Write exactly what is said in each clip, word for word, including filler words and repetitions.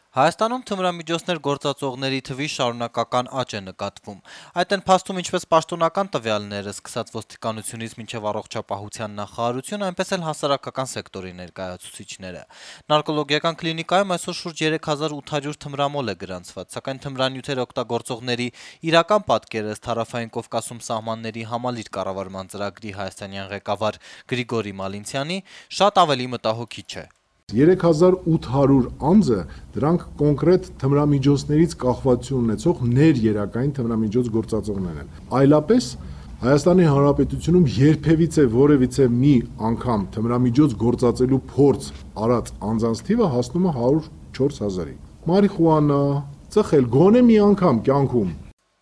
Հայաստանում թմրամիջոցներ գործածողների թվի շարունակական աճ է նկատվում։ Այդ են փաստում ինչպես պաշտոնական տվյալները, սկսած ոստիկանությունից մինչև առողջապահության նախարարություն, այնպես էլ հասարակական սեկտորի ներկայացուցիչները։ Նարկոլոգիական կլինիկայում այսօր շուրջ երեք հազար ութ հարյուր թմրամոլ է գրանցված, սակայն թմրանյութեր օգտագործողների իրական պատկերը ըստ Հարավային Կովկասում սահմանների համալիր կառավարման ծրագրի հայաստանյան ղեկավար Գրիգորի Մալինցյանի շատ ավելի մտահոգիչ է։ երեք հազար ութ հարյուր անձը դրանք կոնկրետ թմրամիջոցներից կախվածություն ունեցող ներերակային թմրամիջոց գործածողներ են։ Այլապես Հայաստանի Հանրապետությունում երբևիցե որևիցե մի անգամ թմրամիջոց գործածելու փորձ արած անձանց թիվը հասնում է հարյուր չորս հազարի։ Մարիխուանա, ծխել գոնե մի անգամ կյանքում։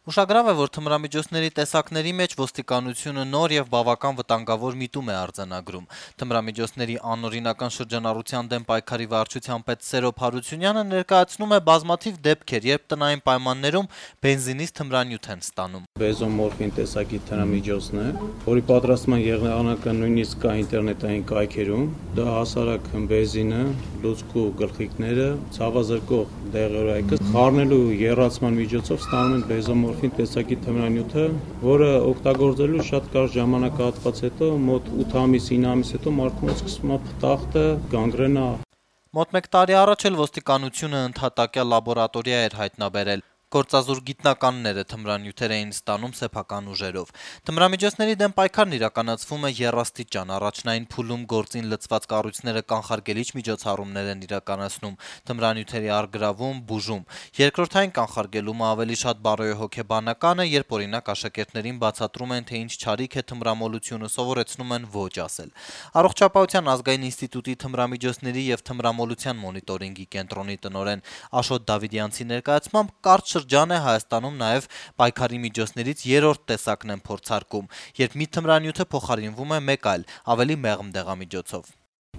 Ուշագրավ է, որ թմրամիջոցների տեսակների մեջ ոստիկանությունը նոր եւ բավական վտանգավոր միտում է արձանագրում։ Թմրամիջոցների անօրինական շրջանառության դեմ պայքարի վարչության պետ Սերոբ Հարությունյանը ներկայացնում է բազմաթիվ դեպքեր, երբ տնային պայմաններում բենզինից թմրանյութ են ստանում։ Բեզոմորֆին տեսակի թմրամիջոցն է, որի պատրաստման եղանակը նույնիսկ կա ինտերնետային կայքերում։ Դա հասարակ բենզինը, լուցկու գլխիկները, ցավազրկող դեղորայքը խառնելու եռացման միջոցով ստանում են բեզոմորֆին տեսակի թմրանյութը, որը օգտագործելու շատ կարճ ժամանակահատված հետո, մոտ ութ ամիս, ինը ամիս հետո մարդու մոտ սկսում է փտախտը, գանգրենա։ Մոտ մեկ տարի առաջ էլ ոստիկանությունը ընդհատակյա լաբորատորիա էր հայտնաբերել։ Գործազուր գիտնականները թմրանյութեր էին ստանում սեփական ուժերով։ Թմրամիջոցների դեմ պայքարն իրականացվում է եռաստիճան, առաջնային փուլում գործին լցված կառույցները կանխարգելիչ միջոցառումներ են իրականացնում, թմրանյութերի առգրավում, բուժում։ Երկրորդային կանխարգելումը ավելի շատ բարոյահոգեբանական է, երբ օրինակ աշակերտներին բացատրում են, թե ինչ չարիք է թմրամոլությունը, սովորեցնում են ոչ ասել։ Առողջապահության ազգային ինստիտուտի թմրամիջոցների եւ թմրամոլության մոնիտորինգի կենտրոնի տնօրեն Աշոտ Դավիդյանցի ներկայացմամբ կարճ շրջան է Հայաստանում նաև պայքարի միջոցներից երրորդ տեսակն են փորձարկում, երբ մի թմրանյութը փոխարինվում է մեկ այլ, ավելի մեղմ դեղամիջոցով։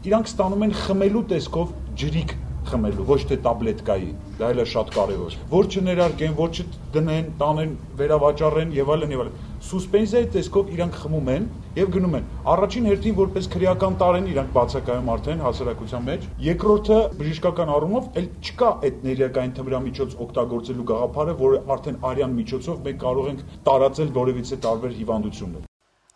Իրանք ստանում են խմելու տեսքով ջրիկ խմելու, ոչ թե տաբլետկայի, դա էլ է շատ կարևոր։ Որ չներարկեն, որ չդնեն, տանեն, վերավաճառեն եւ այլն եւ այլն։ Սուսպենզիայի տեսքով իրանք խմում են եւ գնում են։ Առաջին հերթին որպես քրեական տարեն իրանք բացակայում արդեն հասարակության մեջ։ Երկրորդը բժշկական առումով էլ չկա այդ ներերակային թմրամիջոց օգտագործելու գաղափարը, որը արդեն արյան միջոցով մենք կարող ենք տարածել որևիցե տարբեր հիվանդություններ։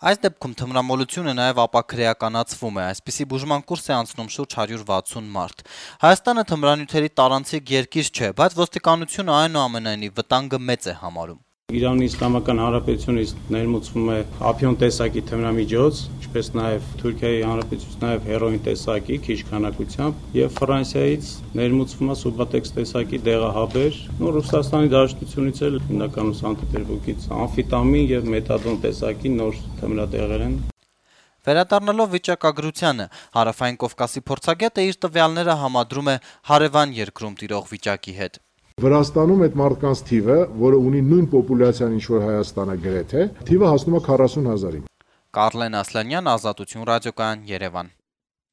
Այս դեպքում թմրամոլությունը նաև ապաքրեականացվում է, այսպիսի բուժման կուրս է անցնում շուրջ հարյուր վաթսուն մարդ։ Հայաստանը թմրանյութերի տարանցիկ երկիր չէ, բայց ոստիկանությունը այնուամենայնիվ վտանգը մեծ է համարում։ Իրանի Իսլամական Հանրապետությունից ներմուծվում է ափիոն տեսակի թմրամիջոց, ինչպես նաև Թուրքիայի Հանրապետությունից նաև հերոին տեսակի քիչ քանակությամբ եւ Ֆրանսիայից ներմուծվում է սուբատեքս տեսակի դեղահաբեր, ու Ռուսաստանի Դաշնությունից էլ հիմնականում Սանկտ Պետերբուրգից ամֆետամին եւ մեթադոն տեսակի նոր թմրադեղեր են։ Վերադառնալով վիճակագրությանը, Հարավային Կովկասի փորձագետը իր տվյալները համադրում է հարևան երկրում տիրող վիճակի հետ։ Վրաստանում այդ մարդկանց թիվը, որը ունի նույն պոպուլյացիան, ինչ որ Հայաստանը գրեթե, թիվը հասնում է քառասուն հազարի։ Կարլեն Ասլանյան, Ազատություն ռադիոկայան, Երևան։